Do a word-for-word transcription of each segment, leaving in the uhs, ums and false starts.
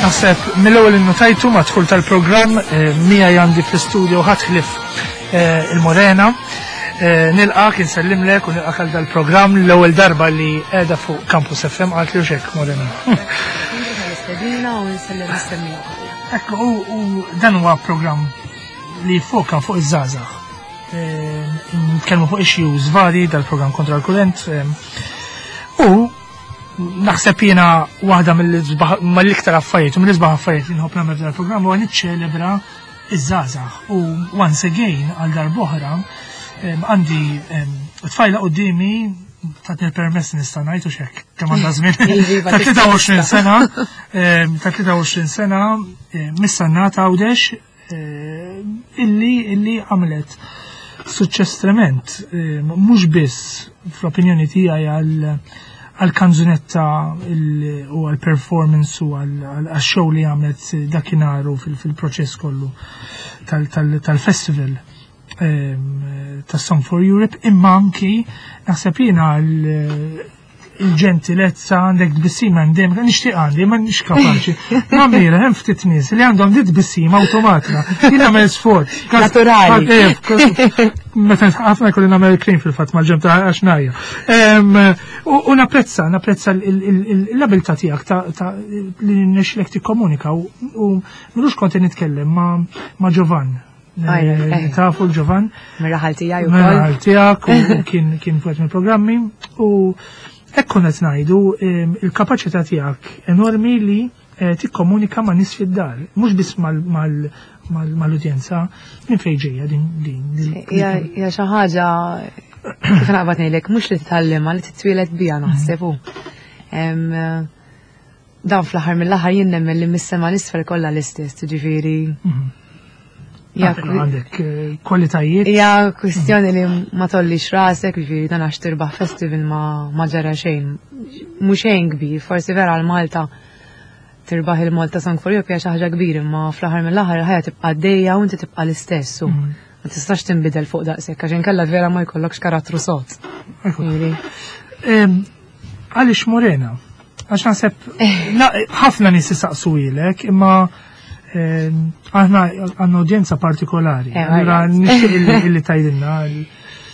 Naħseb mill-ewwel innotajtu mad-dħul tal-programm eh, miegħi għandi fl-istudio ħadd ħlief eh, il-Morena. Eh, Nilqgħek, insellimlek u nilqgħek għal dal-programm, l-ewwel darba li qiegħda fuq Campus F M, għalt li xek, Morena. Stedina u nsellem is-semmiegħa kollha. Ekku, u u dan huwa programm li foka fuq iż-żgħażagħ. Nitkellmu fuq issues vari dal-programm Kontra l-Kurrent. U naħseb jiena waħda mill-iktar affarijiet, u mill-isbaħ affarijiet li nħobb nagħmel dal-programm huwa niċċelebra iż-żgħażagħ. U once again, għal darb'oħra, għandi tfajla quddiemi, tatni l-permess nista' ngħid u xek, kemm għandha żmien. Iva, Ta' tlieta u għoxrin sena, ta' tlieta u għoxrin sena, mis-Sannat, Għawdex, illi illi għamlet suċċess trement, mhux biss fl-opinjoni tiegħi għal għal-kanzunetta u għal-performance u għal-show li għamlet dakinhar u fil-proċess kollu tal-festival ta' Song for Europe, imma anki naħseb jiena il-ġentilezza, għandek tbissima għandem, nixtieq għandi, ma nix kapaċi. Namira, hemm ftit nies li għandhom di tbissima automatika. Jien nagħmel sforz. Naturali. Meta ħafna jkolli nagħmel krim fil-fatt mal-ġem ta' għax najja. U napprezza, napprezza l-abilità tiegħek ta' li nixlek tikkomunika u m'ilux kont nitkellem ma' Giovan. Tafu l-Giovan? Mir-raħal tiegħi ukoll. Mir-raħal tiegħek u kien kien fuq mill-programmi u hekk konna qed ngħidu il-kapaċità tiegħek enormi li eh, tikkomunika ma' nies fid-dar, mhux biss mal-udjenza. Minn fejn ġejja din din? Hija xi ħaġa, kif naqbad ngħidlek, mhux li titgħallimha, li titwieled biha naħseb hu. Dan fl-aħħar mill-aħħar jien nemmen li mis-sema 'l isfel kollha l-istess, ġifieri. Mhm. Għandek eh, kwalitajiet. Hija kwistjoni li ma tollix rasek, ġifieri dan għax tirbaħ festival ma ma ġara xejn. Mhux xejn kbir, forsi vera għal Malta tirbaħ il-Malta Song for Europe hija xi ħaġa kbir, imma fl-aħħar mill-aħħar il-ħajja tibqa' għaddejja u inti tibqa' l-istess. U mhm. ma tistax tinbidel fuq daqshekk għax inkella vera ma jkollokx karattru sod. Għaliex Morena? Għax naħseb ħafna nies isaqsu ilek, imma aħna għandna udjenza partikolari. Eh, Allura nixtieq illi tgħidilna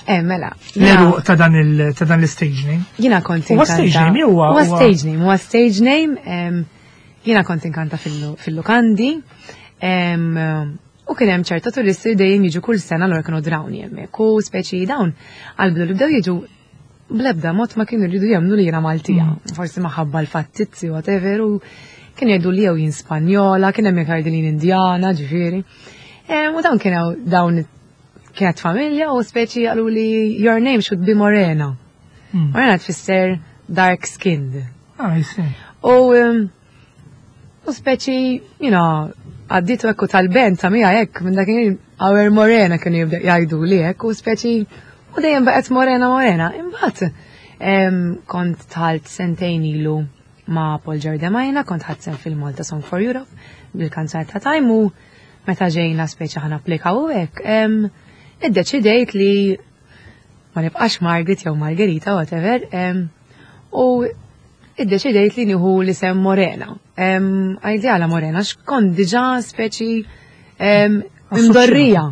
Eh, mela. l-għeruq ta' dan l-stage name. Jiena kont Huwa stage name huwa? Huwa stage name, huwa stage name. Jiena kont inkanta fil-lukandi. U kien hemm ċerta turisti dejjem jiġu kull sena, allura kienu drawni hemmhekk. U speċi dawn għal-bidu li bdew jiġu bl-ebda mod ma kienu jridu jemmnu li jiena Maltija. Mm. Forsi minħabba l-fattizzi, whatever, u kien jgħidu li jew jien Spanjola, kien hemm jgħidu li jien Indjana, ġifieri. U dawn kienu dawn kienet familja u speċi qalu li "Your name should be Morena." Mm. Morena tfisser dark skinned. Ah, I see. U u speċi, you know, għadditu ekku tal-band ta' mija hekk, minn dak our Morena kienu jibda jgħidu li hekk u speċi u dejjem baqgħet Morena Morena. Imbagħad kont dħalt sentejn ilu ma' Paul Giordimaina, kont ħadt sehem fil-Malta Song for Europe bil-kanzunetta Time u meta ġejna speċi ħa napplikaw u hekk, iddeċidejt li ma nibqax Margaret jew Margherita, whatever, u iddeċidejt li nieħu l-isem Morena. Għajdi għala Morena, x'kont diġà speċi imdorrija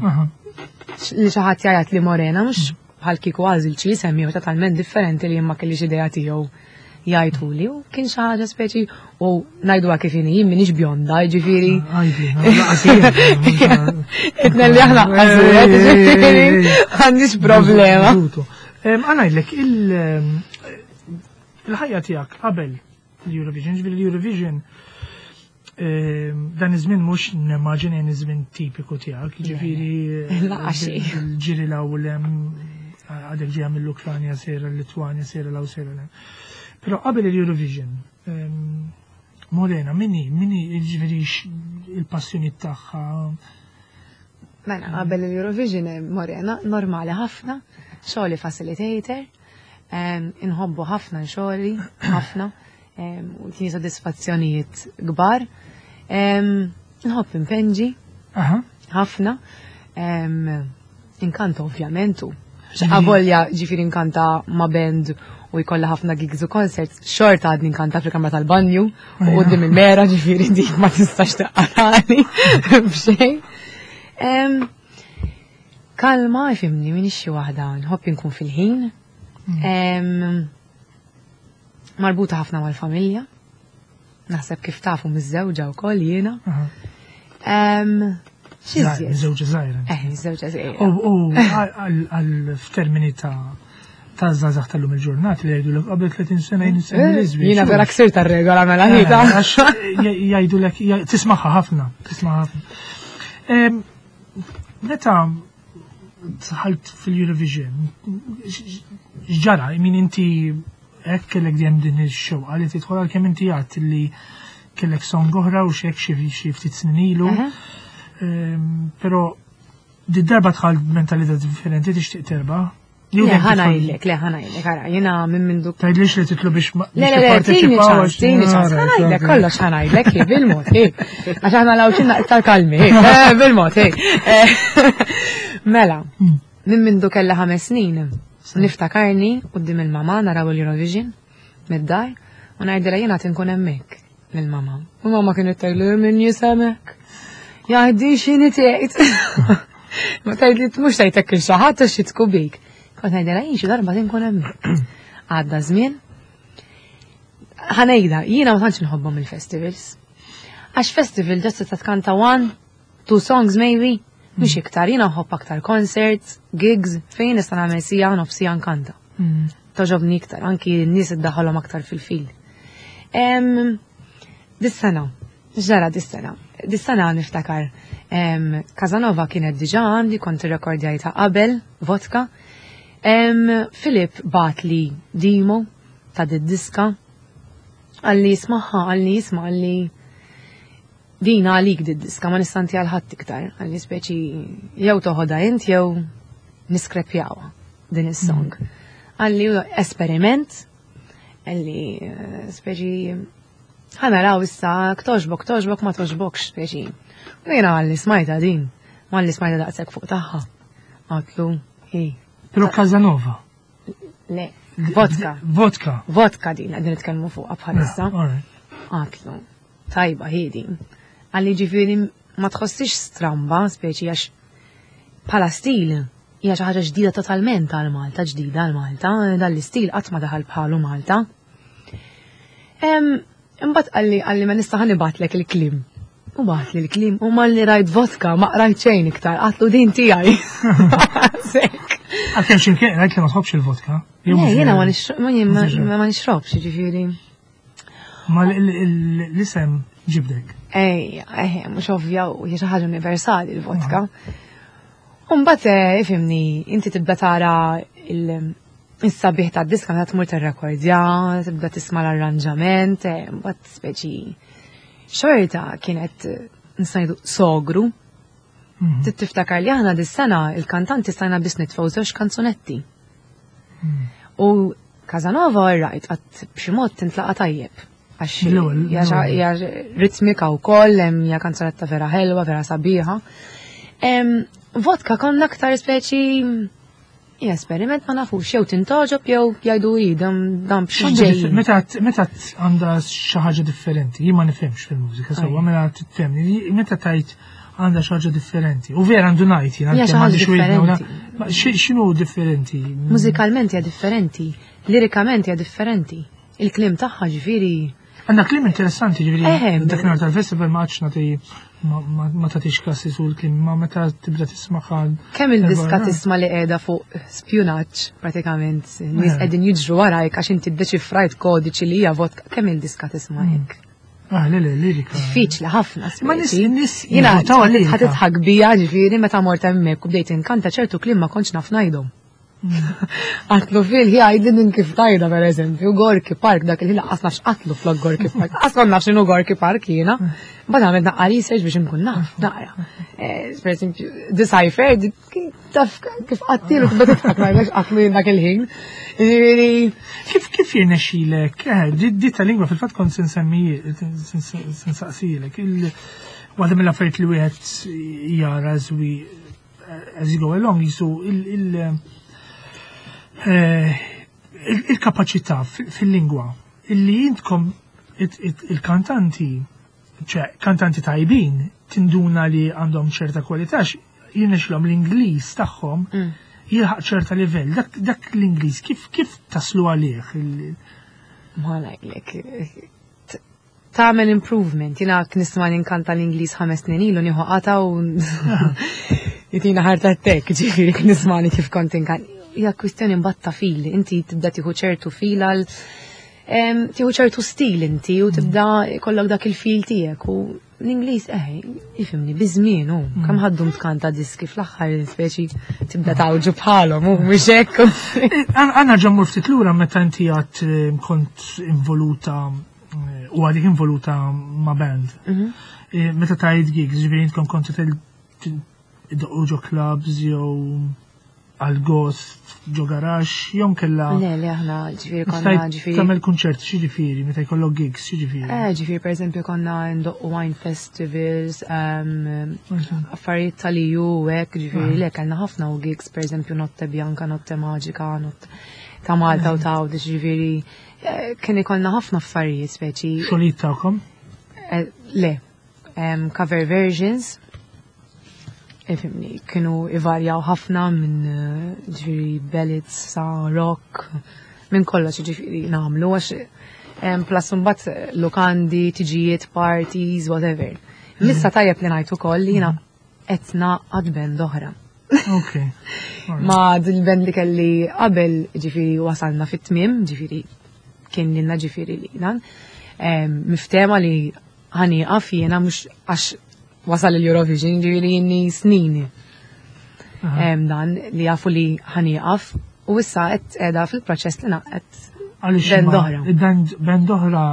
li xi ħadd jgħid li Morena, mhux bħal kieku għażil xi isem jew totalment differenti li ma kellix idea tiegħu jgħiduli u kien xi ħaġa speċi u ngħiduha kif inhi, jien m'iniex bjonda, ġifieri. Itna li aħna ġifieri għandix problema. Ħa ngħidlek, il-ħajja tiegħek qabel l-Eurovision, ġifieri l-Eurovision dan iż-żmien mhux nimmaġina iż-żmien tipiku tiegħek, ġifieri il-ġiri l-ewwel għadek ġejja mill-Ukranja sejra l-Litwanja, sejra l sejra l Però qabel il-Eurovision, Morena, min hi, min hi, ġifieri il-passjoni tagħha? Mela, qabel il-Eurovision Morena, normali ħafna, xogħli facilitator, inħobbu ħafna xogħli, ħafna, u tini soddisfazzjonijiet kbar. Nħobb inpinġi, ħafna, inkanta ovvjament u avolja ġifieri inkanta ma' band. u jkollha ħafna gigs u concerts, xorta għadni nkanta fil-kamra tal-banju u quddiem il-mera, ġifieri dik ma tistax taqalani b'xejn. Em, Kalma, ifhimni, minix xi waħda, nħobb inkun fil-ħin. Em, Marbuta ħafna mal-familja. Naħseb kif tafu miż-żewġa wkoll jiena. Aha. Em, X'iżjed? Żewġa żgħira. Eh, miż-żewġa żgħira. U u għal għal f'termini ta' ta' żgħażagħ tal-lum il-ġurnata li jgħidu l qabel tletin sena jien nsemmi l-iżbiex. Jiena vera ksirt tar-regola mela ħita. Għax jgħidu lek, tismaħħa ħafna, tismaħħa ħafna. Em, Meta dħalt fil-Eurovision, x'ġara, min inti hekk kellek dejjem din ix-xewqa li tidħol, għalkemm inti għedt li kellek song oħra u xek xi xi ftit snin ilu. Aha. Em, Però di darba dħalt mentalità differenti, tixtieq terbaħ. Jew Le, dejjem ħa tidħol- ngħidlek, le, ħa ngħidlek, ara, jiena minn mindu Tgħidlix li titlu biex ma- Le, biex le, le, tini tipparteċipaw ċans, għax- tini ċans, Alright, ħa ngħidlek, okay. kollox ħa ngħidlek, hi, bil-mod, hi. Għax aħna l-Għawdxin iktar kalmi, hi, eh, bil-mod, hi. Eh, Mela, Hmm. minn mindu kella ħames snin, niftakarni quddiem il-mama naraw il-Eurovision, mid-dar, u ngħidilha jiena tinkun hemmhekk lill-mama. U mama kienet tgħidli min jisemek. Jgħiddi x'inhi tgħid. Ma tgħidli mhux tgħidlek il xi ħadd għax jitku bik. Kont ngħidilha jien xi darba tinkun hemmhekk. Għadda żmien. Ħa ngħidha, jiena ma tantx nħobbhom il-festivals. Għax festival just tista' tkanta one, two songs maybe, mhux iktar, jiena nħobb aktar concerts, gigs, fejn nista' nagħmel siegħa, nofs siegħa nkanta. Mm. Togħġobni iktar, anki n-nies iddaħħalhom aktar fil-fil. Em, Dis-sena, ġara dis-sena, dis-sena niftakar. Em, Casanova kienet diġà għandi, kont irrekordjajta qabel, Vodka. Em, Filip bagħatli demo ta' diska, qalli ismagħha, qalli isma', qalli din għalik did-diska, ma nista' ntiha għal ħadd iktar, qalli speċi jew toħodha int jew niskrepjawha din is-song. Qalli esperiment, qalli eh, speċi ħa naraw issa, togħġbok, togħġbok, ma togħġbokx, speċi. U jiena qalli smajta din, malli smajta daqshekk fuq tagħha. Għedtlu, hi, Però Casanova. Le, Vodka. Vodka. Vodka din, qegħdin nitkellmu fuqha bħalissa. Alright. Għedtlu, tajba hi din. Qalli ġifieri ma tħossix stramba, speċi għax bħala stil, hija xi ħaġa ġdida totalment għal Malta, ġdida għal Malta, dan l-istil qatt ma daħal bħalu Malta. Em, Imbagħad qalli qalli ma nista' ħa nibgħatlek il-kliem. U bagħatli l-kliem u malli rajt Vodka ma qrajt xejn iktar, għedtlu din tiegħi. Sekk. Għalkemm x'imkien rajt li ma tħobbx il-vodka. Jew Le, mhux jiena ma vera. nixrob- ma jien ma- ma nixrobx, ġifieri. Ma l- l- l-isem ġibdek. Ej, ej, mhux ovvja u hija xi ħaġa universali l-vodka. Mbagħad eh, ifhimni, inti tibda tara il- is-sabiħ ta' diska meta tmur tirrekordja, tibda tisma' l-arranġament, eh, mbagħad speċi xorta kienet eh, nista' ngħidu sogru. Mhm. Trid tiftakar li aħna dis-sena il-kantanti stajna biss nitfgħu żewġ kanzunetti. U Casanova, right, għat b'xi mod tintlaqa tajjeb. Għax L-ewwel, hija xa- l-ewwel. hija ritmika wkoll, hemm hija kanzunetta vera ħelwa, vera sabiħa. Em, Vodka konna aktar speċi hija esperiment, ma nafux jew tintogħġob jew jgħidu i dan dan b'xi X'għandha differ- ġejjin. Meta meta għandha xi ħaġa differenti, jien ma nifhimx fil-mużika, sewwa mela tifhemni, meta tajt għandha xi ħaġa differenti. U vera għandu ngħid jien Hija xi għalkemm ħaġa m'għandix widna u la- differenti. Ma xi- X'inhu differenti? Mużikalment hija differenti, lirikament hija differenti. Il-kliem tagħha ġifieri Għandna kliem interessanti, ġifieri, Eh, dak nhar tal-festival ma għadx nagħti ma- ma ma tagħtix klassi sul kliem, ma meta tibda tismaħħa. Kemm il-diska Darba- tisma' li qiegħda fuq spjunaġġ pratikament, nies Eh. qegħdin jiġru warajk għax inti ddeċifrajt kodiċi li hija vodka, kemm il-diska tisma' hekk? Ah, le, le, lirika. Diffiċli ħafna. Ma nis- speċi. nis Jiena jivvotaw għal-lirika. ħa tidħak bija, ġifieri meta mort hemmhekk u bdejt inkanta ċertu kliem ma kontx naf ngħidhom. Għedtlu fil hi għidli din kif tgħidha, per eżempju, Gorky Park, dak il lanqas nafx għedtlu flok Gorky Park. Aslan nafx x'inhu Gorky Park jiena. Bad għamilt naqra research biex nkun naf, naqra. Eh, Per eżempju, Decipher, di- kien taf kif għedtlu, tibda tidħak ma jgħidx għedtlu jien dak il-ħin. Ġifieri, Kif kif jirnexxilek? Eh, di di tal-lingwa fil-fatt kont se nsemmi se nsaqsilek. Il waħda mill-affarijiet li wieħed jara as we as you go along jisu il il eh, Il-kapaċità fil-lingwa illi intkom il-kantanti, ċe kantanti tajbin, tinduna li għandhom ċerta kwalità, jirnexxilhom l-Ingliż tagħhom mm. jilħaq ċerta livell. Dak, dak l-Ingliż kif kif taslu għalih? Ma ngħidlek, tagħmel improvement. Jiena nisma' ninkanta l-Ingliż ħames snin ilu, nieħu qata u jitina heart attack, ġifieri nismani kif kont inkanta. Hija kwistjoni mbagħad ta' feel, inti tibda tieħu ċertu feel għal tieħu ċertu stil inti u tibda kollok dak il-feel tiegħek u l-Ingliż, eh, ifhimni, biż-żmien u mm. kemm ħaddum tkanta diski, fl-aħħar speċi tibda tawġu bħalhom u mhux hekk. Għanna ġammur ftit lura meta inti għad eh, kont involuta eh, u għadik involuta ma' band. Mhm. Eh, meta tajt gigs, ġifieri intkom kontu iddoqqu ġo clubs jew għal gost ġo garax, jew kella. Le, le, aħna ġifieri konna ġifieri. Tagħmel kunċert, x'jiġifieri, meta jkollok gigs, x'jiġifieri? Eh, ġifieri per eżempju konna ndoqqu wine festivals, um, affarijiet tal-E U hekk, ġifieri le, kellna ħafna u gigs, per eżempju Notte Bianca, Notte Magica, Notte ta' Malta u ta' Għawdex, ġifieri eh, kien ikollna ħafna affarijiet speċi. Xogħlijiet tagħkom? Eh, le, um, cover versions. Ifhimni, kienu ivarjaw ħafna minn eh, ġifieri ballads sa rock, minn kollox ġifieri nagħmlu għax em, plus mbagħad lukandi, tiġijiet, parties, whatever. Missa tajjeb li ngħid ukoll li jiena qed nagħqad band oħra. Ok. Ma dil-band li kelli qabel, ġifieri wasalna fit-tmiem, ġifieri kien lilna, ġifieri li dan. Em, Miftema li ħa nieqaf jiena mhux għax wasal il-Eurovision, ġifieri jinni snin. Em, Dan li jafu li ħa nieqaf u issa qed qiegħda fil-proċess li naqgħet Għaliex band ma- oħra. Band band oħra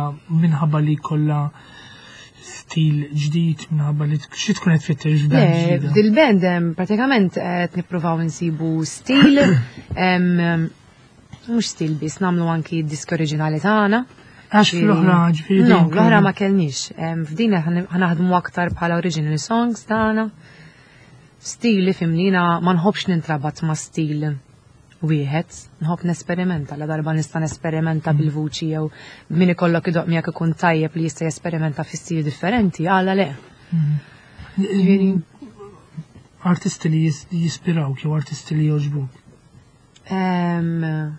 minħabba li kollha stil ġdid, minħabba li xi tkun qed tfittex Le, band ġdida? dil-band em, pratikament qed nippruvaw insibu stil, em, mhux stil biss, nagħmlu anki disk oriġinali tagħna. Għax fl-oħra ġifieri No, dejjem l-oħra kellu- ma kellniex. Em, F'din ħa naħdmu aktar bħala original songs tagħna. Stil li fimnina ma nħobbx nintrabat ma' stil wieħed, nħobb nesperimenta, la darba nista' nesperimenta bil-vuċi jew min ikollok idoqq miegħek ikun tajjeb li jista' jesperimenta fi stili differenti, għala le. Ġifieri artisti li jis- jispirawk jew artisti li jogħġbuk. Em,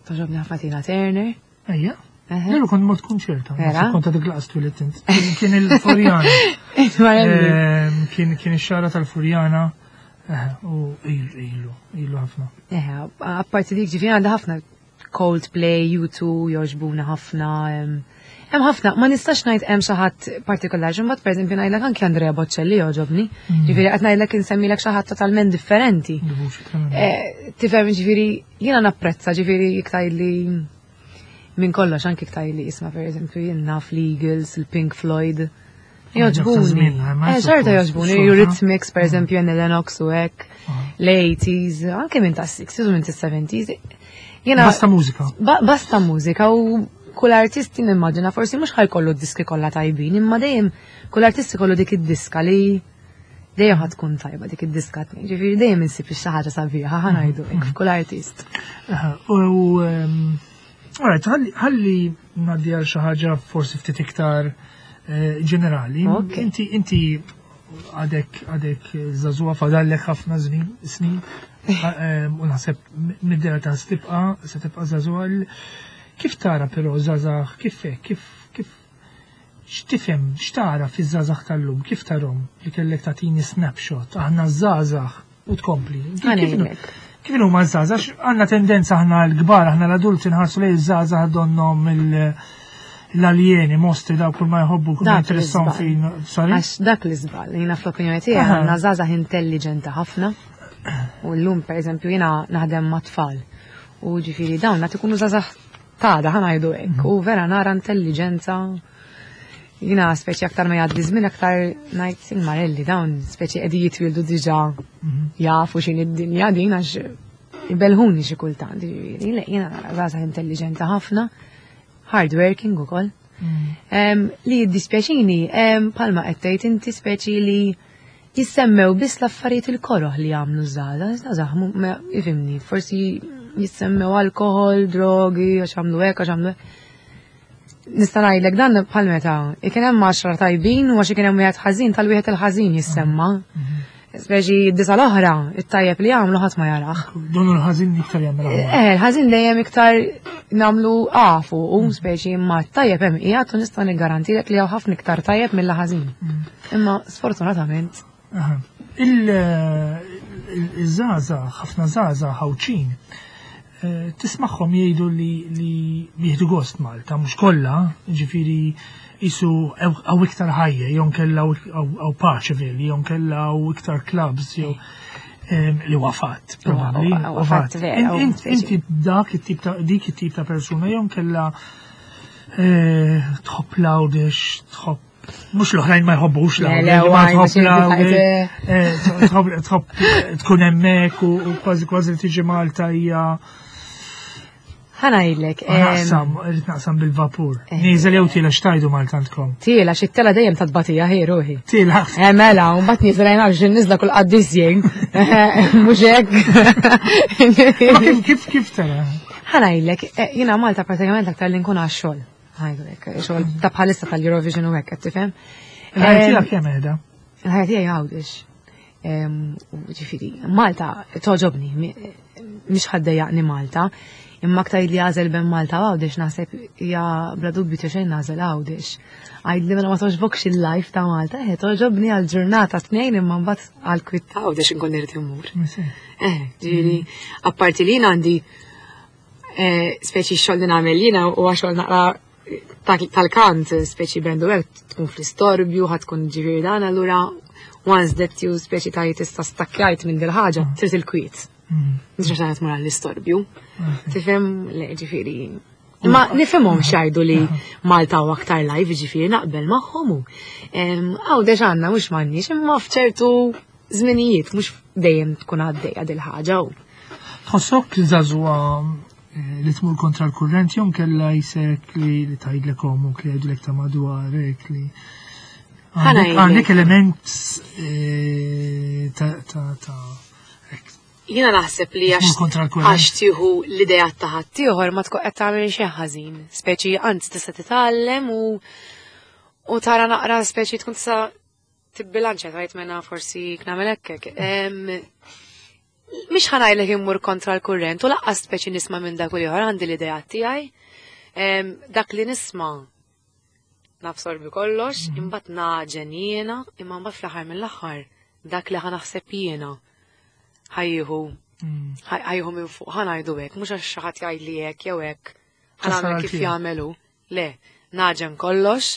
Togħġobni ħafna Tina Turner. Ejja. Eħe. Leru kont mort kunċerta. Vera? Kont għadek laqas twilidt int. Kien il-Furjana. Marelli. Ehm, Kien kien ix-xara tal-Furjana. Eh, U ilu, ilu, ilu ħafna. Eħe, apparti dik ġifieri għandha ħafna Coldplay, U two jogħġbuna ħafna. em, Hemm ħafna, ma nistax ngħid hemm xi ħadd partikolari, imbagħad pereżempju ngħidlek anke Andrea Bocelli jogħġobni. Ġifieri qed ngħidlek insemmilek xi ħadd totalment differenti. Il-vuċi tremenda. Eh, Tifhem, ġifieri jiena napprezza, ġifieri iktar li minn kollox, anke iktar li isma' pereżempju jien naf l-Eagles, il-Pink Floyd. Jogħġbuni. Żmien, ma Eh, xorta suppost, jogħġbuni, xorta. Eurythmics, per eżempju, Annie Lennox u hekk, l-eighties, anke minn ta' sixties u minn ta' seventies. Jiena Basta mużika. Ba basta mużika u kull artist nimmaġina forsi mhux ħajkollu d-diski kollha tajbin, imma dejjem kull artist ikollu dik id-diska li dejjem ħa tkun tajba dik id-diska tnejn. Ġifieri dejjem insib xi ħaġa sabiħa, ħa ngħidu hekk, f'kull artist. Eh, U ehm, alright, ħalli ħalli ngħaddi għal xi ħaġa forsi ftit iktar eh, ġenerali. Ok. Inti inti għadek għadek żagħżugħa, fadallek ħafna żmien snin ehm, u naħseb mid-dera ta' se tibqa' se tibqa' żagħżugħa. L- Kif tara però żgħażagħ, kif hekk, kif kif x'tifhem, x'tara fiż-żgħażagħ tal-lum, kif tarhom li kellek tagħtini snapshot, aħna żgħażagħ u tkompli? Kif- kif- Ħanejlek. Kif huma żgħażagħ? Għandna tendenza aħna l-kbar, aħna l-adulti nħarsu lejn iż-żgħażagħ donnom il- l-aljeni, mostri, daw kull ma jħobbu, kull ma Dak jinteressahom l-iżbal. fin. Sorry? Għax dak l-iżbal, jiena fl-opinjoni tiegħi Aha. għandna żgħażagħ intelligenti ħafna. U llum pereżempju jiena naħdem ma' tfal. U ġifieri dawn qed ikunu żgħażagħ tada, ħa ngħidu hekk. U vera nara intelligenza. Jiena speċi aktar ma jgħaddi żmien aktar ngħid il-marelli, dawn speċi qegħdin jitwildu diġà jafu x'in id-dinja din, għax ibelħuni xi kultant. Ġifieri, le, jiena nara żgħażagħ intelligenti ħafna, hard working ukoll. Em, li jiddispjaċini, em, palma qed tgħid inti, speċi li jissemmew biss l-affarijiet il-koroħ li jagħmlu żgħażagħ, żgħażagħ mu- ma- ifhimni, forsi Jissemmew alkohol, drogi, għax għamlu hekk, għax għamlu hekk. Nista' ngħidlek dan bħal meta ikun hemm għaxra tajbin u għax ikun hemm wieħed ħażin tal-wieħed il-ħażin jissemma. Speċi d-disa l-oħra, it-tajjeb li għamlu ħadd ma jarah. Donu l-ħażin iktar jagħmel aħjar. Eh, l-ħażin dejjem iktar nagħmlu għafu u speċi imma t-tajjeb hemm qiegħed u nista' niggarantilek li hawn ħafna iktar tajjeb mill-ħażin. Imma sfortunatament Aha. Il-żgħażagħ, ħafna żgħażagħ Għawdxin, eh, tismagħhom jgħidu li li jieħdu gost Malta, mhux kollha, ġifieri jisu hawn iktar ħajja, jew nkella hawn paċi veli, jew nkella hawn iktar clubs, jew em, li wafat, probabbli. Huwa- huwa fatt vera, u Int- speċi. Inti dak it-tip ta' dik it-tip ta' persuna jew nkella eh, tħobb l-Għawdex, tħobb mhux l-oħrajn ma jħobbux Le, l-Għawdex, le, ma għaj, tħobb biex l-Għawdex, eh. eh, tħobb tħobb tkun hemmhekk u u kważi kważi li tiġi Malta hija ħa ngħidlek. em, naqsam, irrid naqsam bil-vapur. Eh. Nieżel jew tiela x'tajdu Malta għandkom? Tiela xi tela dejjem ta' tbatija ħi ruħi. Tiela. Eh mela, u mbagħad nieżel jien għax niżla kull qaddis jien. Mhux hekk. Ma kif kif kif tara? Ħa ngħidlek, eh, jiena Malta pratikament aktar li nkun għax-xogħol. Ħa ngħidlek, xogħol ta' bħalissa tal-Eurovision u hekk qed tifhem. Il-ħajja Em, tiegħek kemm qiegħda? Il-ħajja tiegħi Għawdex. Em, u Ġifieri, Malta toġobni, mi- mhix ħa ddejjaqni Malta, imma aktar li għażel bejn Malta u Għawdex naħseb hija bla dubju ta' xejn nagħżel Għawdex. Għajd li mela ma toġbokx il-life ta' Malta, eh toġobni għal ġurnata tnejn imma mbagħad għal kwiet ta' Għawdex inkun irid immur. Eh, ġifieri, apparti li jien għandi eh, speċi xogħol li nagħmel jiena huwa xogħol naqra ta- tal-kant, speċi band u hekk tkun fl-istorbju, ħa tkun ġifieri dan, allura once that you speċi ta' tista' stakkjajt minn dil-ħaġa, trid il-kwiet. Mhux għax tmur għall-istorbju. Tifhem, le ġifieri. Ma nifhimhom x'jgħidu li Malta huwa aktar live, ġifieri naqbel magħhom u. Għawdex għandna mhux m'għandniex, imma f'ċertu żminijiet mhux dejjem tkun għaddejja dil-ħaġa u. Tħossok żagħżugħa eh, li tmur kontra l-kurrent jew nkella jisek li li tgħidlek omok li jgħidulek ta' madwarek li Ħa għandek ngħidlek. għandek element eh, ta' ta' ta' hekk, Jiena naħseb li għax Tmur kontra l-kurrent. għax tieħu l-idea ta' ħaddieħor ma tkun qed tagħmel xejn ħażin. Speċi anzi tista' titgħallem u u tara naqra speċi tkun tista' tibbilanċja tgħid mena forsi nagħmel hekk hekk. Em, Mhix ħa ngħidlek immur kontra l-kurrent u lanqas speċi nisma' minn dak u ieħor għandi l-idea tiegħi. Em, Dak li nisma' nabsorbi kollox, imbagħad nagħġen jiena, imma mbagħad fl-aħħar mill-aħħar dak li ħa naħseb jiena ħa jieħu Mm. ħa jieħu minn fuq, ħa ngħidu hekk, mhux għax xi ħadd jgħidli hekk jew hekk, ħa Tasal nagħmel kif għal tiegħek. jagħmelu. Le, nagħġen kollox,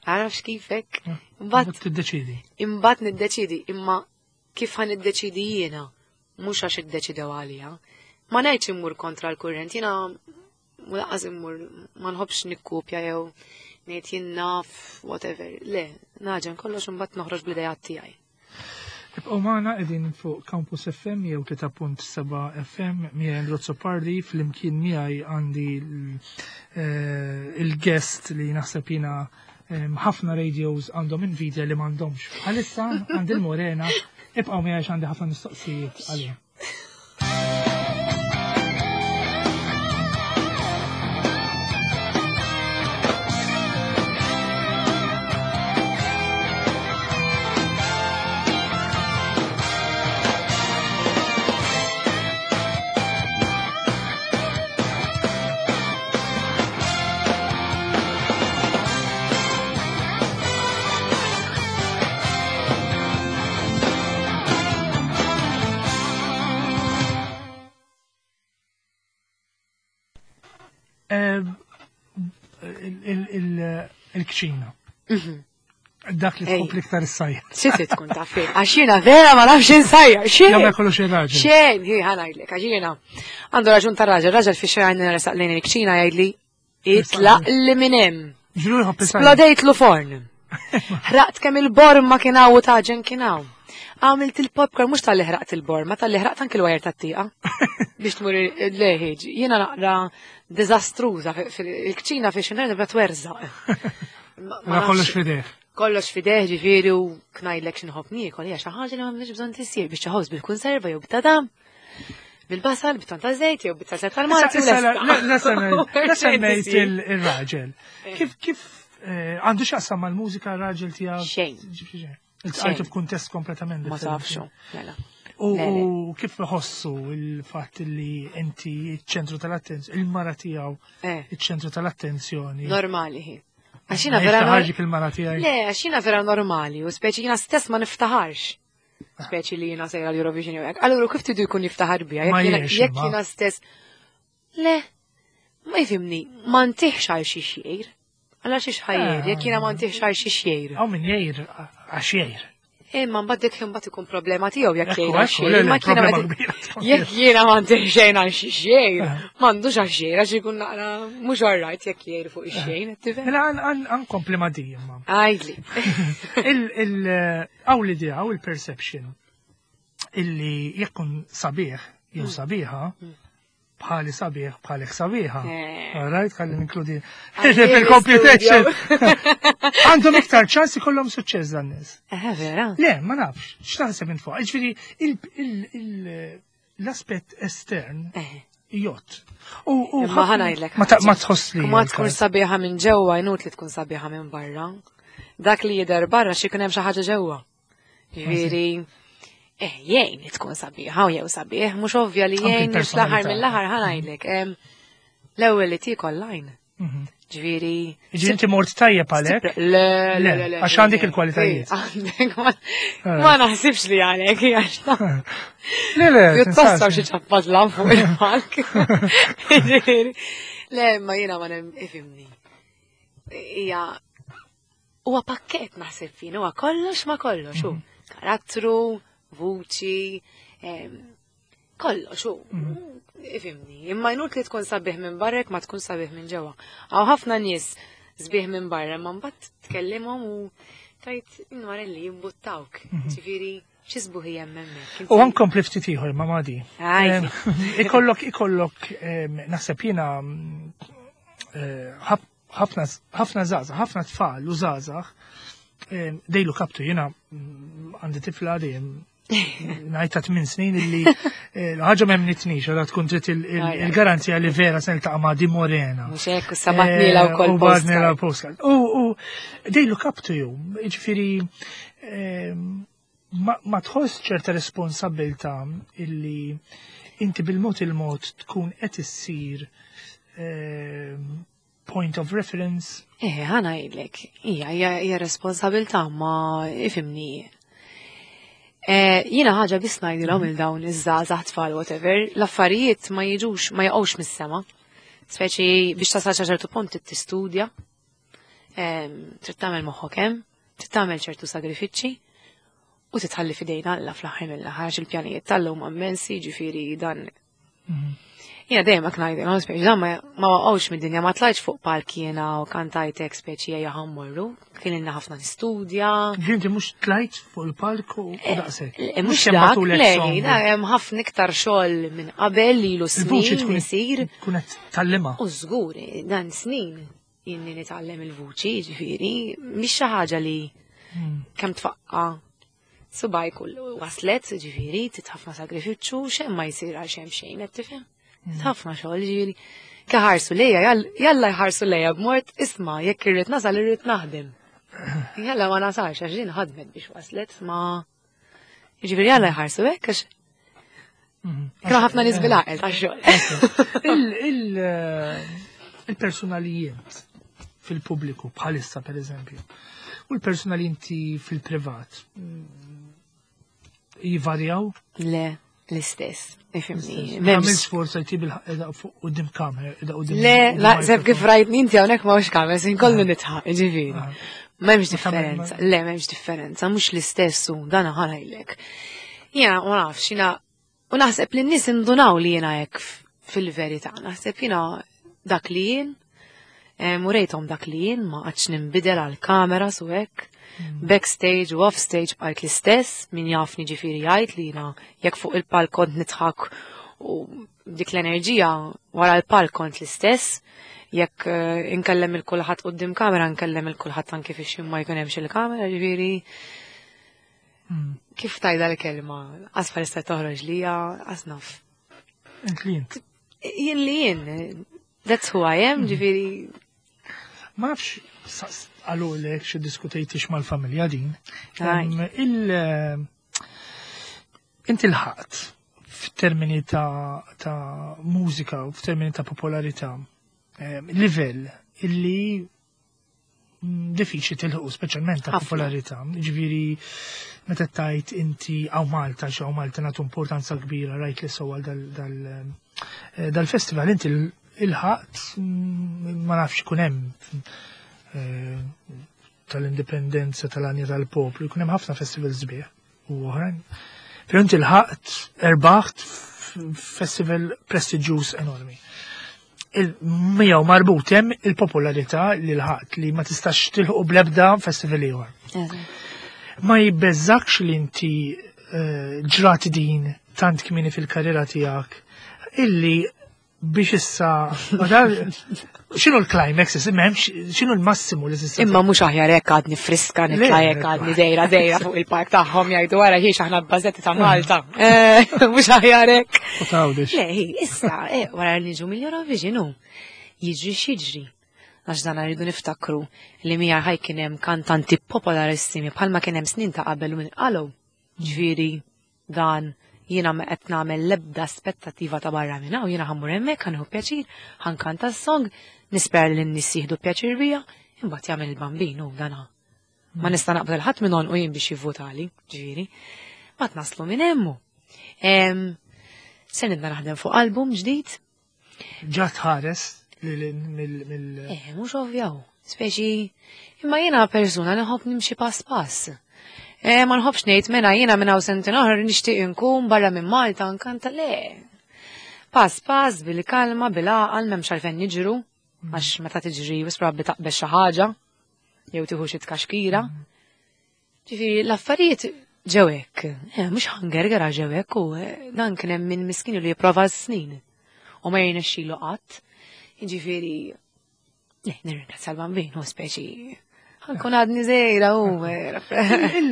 għarafx kifek, imbagħad Mbagħad tiddeċidi. imbagħad niddeċidi, imma kif ħa niddeċidi jiena, mhux għax iddeċidew għalija. Ma ngħidx immur kontra l-kurrent, jiena u lanqas immur ma nħobbx nikkupja jew ngħid jien naf whatever. Le, nagħġen kollox imbagħad noħroġ bl-idea tiegħi. Ibqgħu magħna qegħdin fuq Campus F M jew tlieta punt seba' F M miegħi Andrew Azzopardi, flimkien miegħi għandi l- eh, il-guest li naħseb jiena em, ħafna radios għandhom invidja li m'għandhomx. Bħalissa għandi l-Morena, ibqgħu miegħi għax għandi ħafna mistoqsijiet għalija. Eh, il- il- il- Il-kċina. Dak li Ej. tħobb l-iktar is-sajja. Xi trid tkun taf fih? Għax jiena vera ma nafx insajjar, xejn. Jagħmel kollox ir-raġel. Xejn, hi ħa ngħidlek, għax jiena għandu raġun tar-raġel, raġel fi xejn resaq lejn il-kċina jgħidli itlaq li minn hemm. Ġru jħobb is-sajja. Splodejtlu forn. Ħraqt kemm il-borma kien hawn u taġen kien hawn. Għamilt il-popcorn mhux tal-li ħraqt il-borma, tal-li ħraqt anki l-wajer tat-tieqa. Biex tmur il-leħiġ. Jiena naqra diżastruża fil-kċina fi xi nibda twerżaq. Ma- ma Ma kollox nafx- fideh. Kollox fideh ġifieri u knajdlek x'inħobb niekol hija xi ħaġa li m'għandix bżonn tisir biex ħobż bil-konserva jew b'tadam. Bil-basal, bit-tonn ta' żejt, jew bit-salsa tal-Malti. Issa, la semmejt il-raġel. Kif, kif, eh, għandu x'jaqsam mal-mużika raġel tiegħek? Xejn. Iltqajtu f'kuntest kompletament Ma differenti. tafxu, mela. U Le, le. u kif iħossu il-fatt li inti iċ-ċentru tal-attenzjoni, il-mara tiegħu Eh, iċ-ċentru tal-attenzjoni. Normali hi. Għax jiena Ma vera jiftaħarx dik il-mara tiegħi. Le, għax jiena vera normali, u speċi jiena stess ma niftaħarx. Speċi li jiena sejra l-Eurovision jew hekk. Allura kif tridu jkun jiftaħar bija? Ma Jekk jiena- jiex, jekk imma. jiena stess. Le, ma jifhimni, ma ntihx għal xi xejr. Għal xi xħajjer, jekk jiena ma ntihx għal xi xejr. Hawn min jgħir għax jgħir. Imma mbagħad dik imbagħad ikun problema tiegħu jekk Ekku, jgħir għal ekku, xejn. le, le, Ma jiena problema ma- kbira tkun. Jekk jiena ma ntih xejn għal xi xejn, Eh. m'għandux għal xejn għax ikun naqra mhux alright jekk jgħir fuq ix-xejn, tifhem? Mela għan għan kompli ma di imma. Għajdli. Il-għaw l-idea, għaw il-perception illi jekkun sabiħ, jew Mm. sabiħa, bħali sabiħ, bħalek sabiħa. Eh. All right, ħalli ninkludi Għalli fil-computation. l-studio. Għandhom iktar ċans ikollhom suċċess dan nies. Eh, vera. Le, ma nafx, x'taħseb int fuq. Ġifieri il- il- l-aspett estern Eh. jgħodd. U u Imma ħafna- ħa ngħidlek Ma ta- ħaġa. ma tħoss li. Ma tkun sabiħa minn ġewwa inut li tkun sabiħa minn barra. Dak li jidher barra xi jkun hemm xi ħaġa ġewwa. Ġifieri, eh, jgħin li tkun sabiħa u jew sabiħ, mhux ovvja li Anki jgħin fl-aħħar l-personalità. mill-aħħar ħa ngħidlek. em, L-ewwel li tiekol lajn. Mhm. Ġifieri. Ġifieri inti mort tajjeb għalhekk. Le, le, Le, le, le. għax għandek le. il-kwalitajiet. Eh, Għandek, ma- ma naħsibx li għalek, għax ta' Le, le, Pjuttost tinsax. hawn xi ċappat lam fuq il-palk. Ġifieri, Le, ma jiena ma nem ifhimni. Hija huwa pakkett naħseb fin, huwa kollox ma kollox, hu. Karattru, vuċi, em, kollox hu. Ifhimni, imma inut li tkun sabiħ minn barra jekk ma tkun sabiħ minn ġewwa. Hawn ħafna nies sbieħ minn barra, ma mbagħad tkellimhom u tajt inwarelli jimbuttawk. Ġifieri, xi sbuħi hemm hemmhekk. U għan kompli ftit ieħor ma' Madi. Għajdi. Em, Ikollok, ikollok, em, naħseb jiena mm, eh, ħaf- ħafna ħafna żgħażagħ, ħafna tfal u żgħażagħ em, they look up to jiena mm, għandi tifla dejjem ngħid ta' tmien snin illi eh, ħaġa ma emmnitnix, għadha tkun trid il- il- Aj, aj. il-garanzija li vera se niltaqa' ma' Di Morena. Mhux hekk, u sabatnila wkoll U bagħatnilha postcard. postcard. U u they look up to you. Ġifieri em, ma ma tħoss ċerta responsabilta illi inti bil-mod il-mod tkun qed issir em, point of reference. Eh, ħa ngħidlek, hija hija hija responsabilta ma ifhimni. Eh, jiena ħaġa biss ngħidilhom il dawn iż-żgħażagħ tfal whatever, l-affarijiet ma jiġux ma jaqgħux mis-sema. Speċi biex tasal sa ċertu punt trid tistudja, em, trid tagħmel moħħok hemm, trid tagħmel ċertu sagrifiċċji u titħalli f'idejna Alla fl-aħħar mill-aħħar għax il-pjanijiet tal-lum immensi, ġifieri dan Jiena dejjem hekk ngħidilhom speċi dan ma ma waqgħux mid-dinja ma tlajtx fuq palk jiena u kantajtek speċi ejja ħa mmorru, kien ilna ħafna nistudja. Ġifieri inti mhux tlajt fuq il-palk u u daqshekk. Eh, Mhux kemm dak, bagħtulek le, song. da hemm ħafna iktar xogħol minn qabel ilu Il-vuċi snin tkun isir. tkun qed tgħallimha. U żgur, dan snin inni nitgħallem il-vuċi, ġifieri, mhix xi ħaġa li kemm tfaqqa subaj kull waslet, ġifieri, trid ħafna sagrifiċċju, xejn ma jsir għal xejn xejn, qed tifhem? Trid ħafna xogħol, ġifieri. Ħarsu lejja, jall- jalla jħarsu lejja b'mod isma' jekk irrid nasal irrid naħdem. Jalla ma nasalx għax din ħadmet biex waslet, ma ġifieri jalla jħarsu hekk għax kienu ħafna nies bil-għaqel tax-xogħol. Il- il- eh, Il-personalijiet fil-pubbliku bħalissa per eżempju, u l-persuna li inti fil-privat mm, jivarjaw? Le, l-istess, ifhimni. Għamil M'hemmx sforza jtib il fuq quddiem kamera, qiegħda quddiem. Le, quddiem la, seb kif microphone. rajtni inti hawnhekk ma kamera, sin kollu nitħaq, ġifieri. Ah. M'hemmx Ma tagħmel- differenza, le, m'hemmx differenza, mhux l-istess u dan ħa ngħidlek. Jiena ma nafx, jiena u naħseb li n-nies indunaw li jiena hekk f- fil-verità, naħseb jiena dak li jien, eh, murejthom dak li jien, ma qatx ninbidel għal kamera su hekk. Backstage u offstage bqajt l-istess, min jafni ġifieri jgħid li jiena jekk fuq il-palk kont nidħak u dik l-enerġija wara l-palk kont l-istess, jekk eh, inkellem il-kulħadd quddiem kamera, nkellem il-kulħadd anke fix ma jkun hemmx il-kamera, ġifieri Mm. kif tajda l-kelma, asfar issa toħroġ lija, asnaf. Int li int. Jien li jien, that's who I am, ġifieri. Ma nafx għalulek xi diskutejtix mal-familja din. Aj. Em, Il inti lħaqt f'termini ta' ta' mużika u f'termini ta' popolarità em, livell illi mm, diffiċli tilħu speċjalment ta' Ħafna. popolarità. Ġifieri meta tajt inti għaw Malta, xi hawn Malta nagħtu importanza kbira rajt li sewwa dal, dal, eh, dal-festival inti l- ilħaqt mm, ma nafx ikun hemm eh, tal-indipendenza tal-għanja tal-poplu, jkun hemm ħafna festivals sbieħ u oħrajn. Però inti lħaqt erbaħt festival prestiġjuż enormi. Il-miegħu marbut hemm il-popolarità li lħaqt li ma tistax tilħu bl-ebda festival ieħor. Ma jibbeżakx li inti eh, ġrat din tant kmini fil-karriera tiegħek illi biex issa ma dar- x'inhu l-climax, m'hemmx x'inhu l-massimu li tista' Imma mhux aħjar hekk għadni friska nitla' Le, hekk għadni dejra dejra fuq il-park tagħhom jgħidu wara ħiex aħna bbażetti ta' Malta. Eh, Mhux aħjar hekk. U tgħawdex. Le, hi, issa, eh, wara li niġu mill-Eurovision, hu, jiġri x'jiġri. Għax dan rridu niftakru li mija ħaj kien hemm kantanti popolarissimi bħalma kien hemm snin ta' qabel u minn qalu. Ġifieri dan jiena ma qed nagħmel l-ebda aspettattiva ta' barra minn hawn, jiena ħa mmur hemmhekk ħa nieħu pjaċir, ħa nkanta s-song, nispera li n-nies jieħdu pjaċir bija, imbagħad jagħmel il-bambin u dana. Ma nista' naqbel ħadd minn u jien biex jivvotali, ġifieri. Ma naslu minn hemmu. Em, Se nibda naħdem fuq album ġdid. Ġa tħares li li- mill mill Eh, mhux ovvjaw. Speċi, imma jiena persuna li nħobb nimxi pass pass. Eh, ma nħobbx ngħid mena jiena minn hawn sentejn oħra nixtieq inkun barra minn Malta nkanta le. Pass pass bil-kalma, bil-għaqal, m'hemmx għalfejn niġru, għax meta tiġri wis probabbli taqbeż xi ħaġa, jew tieħu xi tkaxkira. Ġifieri l-affarijiet ġew hekk. Eh, mhux ħa ngerger ġew hekk u eh, dan kien hemm min miskin li jipprova s-snin. U ma jirnexxilu qatt. Ġifieri, le, nirringrazzja l-bambin, u speċi, ħa nkun għadni żgħira u. Il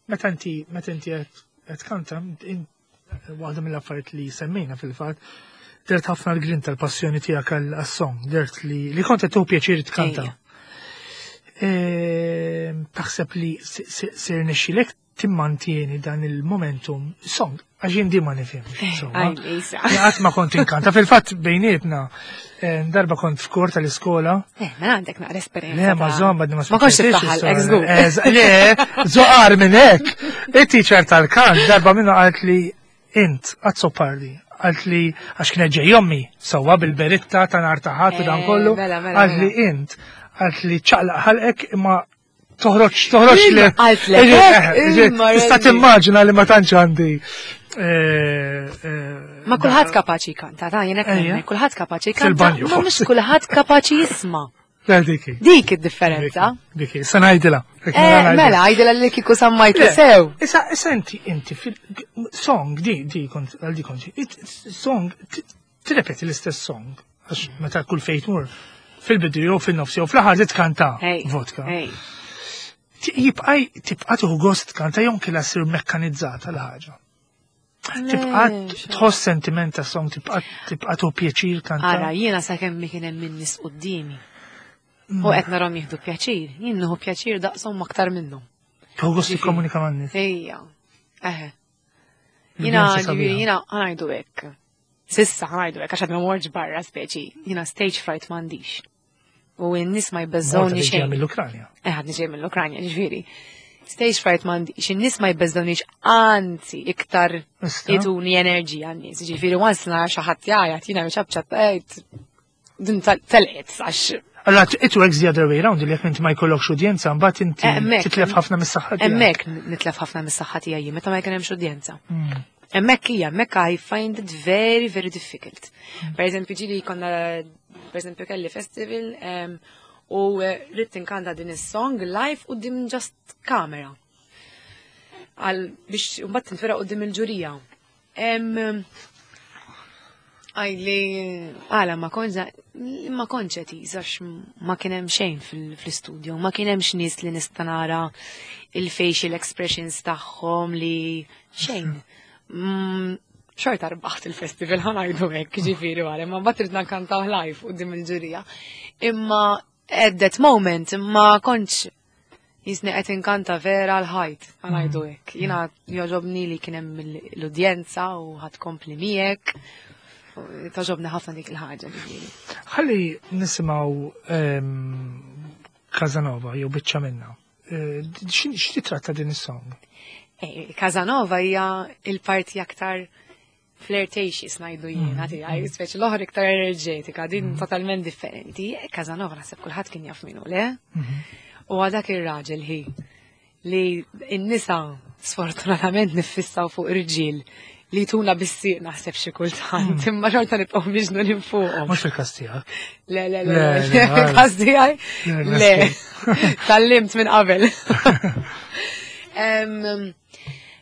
meta inti meta inti qed qed kanta in- waħda mill-affarijiet li semmejna fil-fatt dert ħafna l-grinta l-passjoni tiegħek għal-song, dert li li kont qed tieħu pjaċir tkanta. Ejja. Ehm, Taħseb li sir nexxilek timmantieni dan il-momentum song, għax jien di ma nifhimx. insomma. Aj, Lisa. Qatt ma kont inkanta. Fil-fatt bejnietna, eh, darba kont f'kor tal-iskola, Eh, mela għandek naqra esperjenza. Le, ma ta' żomm, għadni ma Ma kontx spiċċajtix tiftaħal, is-sora. ex żgur. Eh, Le, zoqar minn hekk. Il-teacher tal-kant darba minnu qalt li int Azzopardi. Qalt li għax kienet ġej ommi sewwa bil-beritta ta' nhar ta' ħadd u dan Eh, kollu. mela, mela, Qalt li mela. int, qalt li ċaqlaq ħalqek imma toħroġ toħroġ li. Qaltlek, Eh, eh, eh, imma Tista' Randy. timmaġina li ma tantx għandi. eh, eh, Ma kulħadd kapaċi jkanta, ta' jien hekk Ejja. nemmen, kulħadd kapaċi jkanta, Fil-banju, ma mhux forsi. kulħadd kapaċi jisma'. Le, diki. Dik id-differenza. Diki, sa ngħidilha. Eh, mela, għajdilha li kieku sammajt sew. Issa, issa inti, inti, fil-song, di, di, kont, għal di kont, it- song, t- tirrepeti l-istess song, għax meta kull fejn tmur, fil-bidu jew fil-nofs jew fl-aħħar titkanta Hey, vodka. hey. Ti- Jibqa' tibqa' tieħu gost tkanta jew kella ssir mekkanizzata l-ħaġa. Tibqa' tħoss sentiment ta' song, tibqa' tibqa' tieħu pjaċir kanta. Ara, jiena sakemm kien hemm min nies quddiemi. U qed narhom jieħdu pjaċir, jien nieħu pjaċir daqshom aktar minnhom. Tieħu gost tikkomunika man-nies. Ejja. Eħe. Jiena L-udjenza ġifieri sabiħa. jiena ħa ngħidu hekk. Sissa ħa ngħidu hekk għax għad ma mortx barra speċi. Jiena stage fright m'għandix. U n-nies ma Malta jbeżżawni li ġejja xejn. mill-Ukranja. Eh, għadni ġej mill-Ukranja, ġifieri. Stage fright m'għandix, in-nies ma jbeżżawnix, anzi, iktar Ista? jituni enerġija n-nies. Ġifieri, once nara xi ħadd jgħajjat, jiena ċabċab, ejt, din tal- telqet, għax Allora, it works the other way round, li jekk inti ma jkollokx udjenza, mbagħad inti Hemmhekk. titlef ħafna mis-saħħa tiegħek. Hemmhekk nitlef ħafna mis-saħħa tiegħi jien meta ma jkun hemmx udjenza. Mm. Hemmhekk hija, hemmhekk I find it very, very difficult. Per eżempju, ġieli konna, per eżempju, kelli festival em, u eh, ridt inkanta din is-song live quddiem just kamera. Għal biex mbagħad tintwera quddiem il-ġurija. Em, Għajli, għala ma konġa, ma kontx għax ma kien hemm xejn fil- fl-studio, ma kien hemmx nies li nista' nara il-facial expressions tagħhom li xejn. Mm, Xorta rbaħt il-festival, ħa ngħidu hekk, ġifieri wara, ma mbagħad ridna nkantaw live quddiem il-ġurija. Imma at that moment, ma kontx jisni qed inkanta vera l-ħajt, ħa ngħidu hekk. Jiena jogħġobni li kien hemm l-udjenza u ħadd kompli miegħek. Togħġobni ħafna dik il-ħaġa, ġifieri. Ħalli nisimgħu ehm, Casanova jew biċċa minna. Eh, x'titratta din is-song? Eh, Casanova hija il-parti aktar flirtatious, ngħidu jiena, tiegħi, speċi l-oħra iktar enerġetika, din totalment differenti. Casanova naħseb kulħadd kien jaf minnu, le? U għadak ir-raġel hi li n-nisa sfortunatament niffissaw fuq irġiel li tuna bis-sieq naħseb xi kultant, imma xorta nibqgħu miġnunin fuqhom. Mhux fil-każ tiegħek. Le, le, le, Le, le, le, fil-każ tiegħi. Le, Le, tgħallimt minn qabel. Em,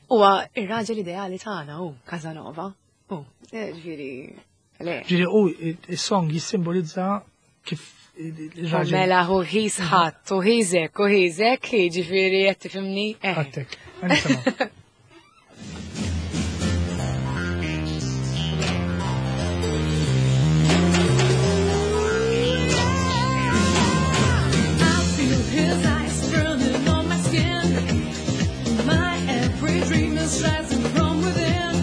Huwa ir-raġel ideali tagħna hu Casanova. U, eh, ġifieri, le. Ġifieri u is-song jissimbolizza kif il-raġel. Mela hu he's hot, u he's hekk, u he's hekk, ġifieri qed tifhimni? Eh. Għattek. Nisimgħu. I feel his eyes burning on my skin. My every dream is rising from within.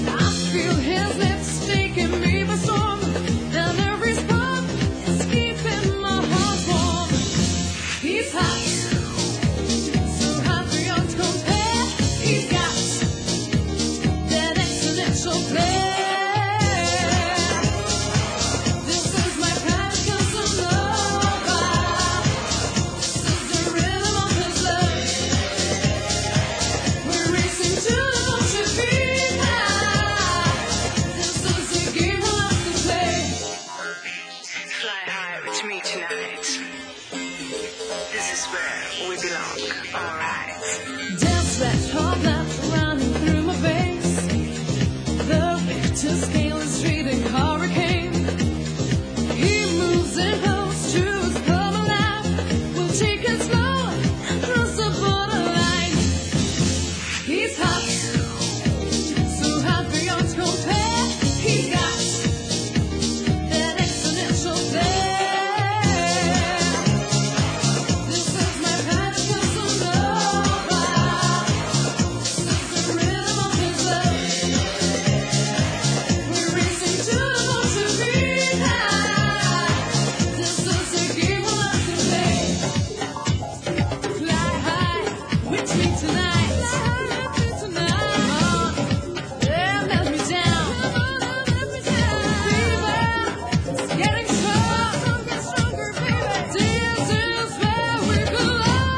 I feel his lips taking me by storm, and every spark is keeping my heart warm. He's hot, so hot beyond compare. He's got that exponential flair. This is my kind of Casanova. This is the rhythm of his love. We're racing to the Dolce Vita. This is a game we love to play. Fly high with me tonight. This is where we belong, alright. Dance that hot blood running through my veins. The Richter scale is reading hurricane. He moves in close to his come alive. We'll take it slow, cross the borderline. He's hot, so hot beyond compare. He's got that exponential flair. This is my kind of Casanova. This is the rhythm of his love. We're racing to the Dolce Vita. This is a game we love to play. Fly high with me tonight. Come on, yeah, melt me down. Fever is getting stronger, stronger, baby. This is where we belong.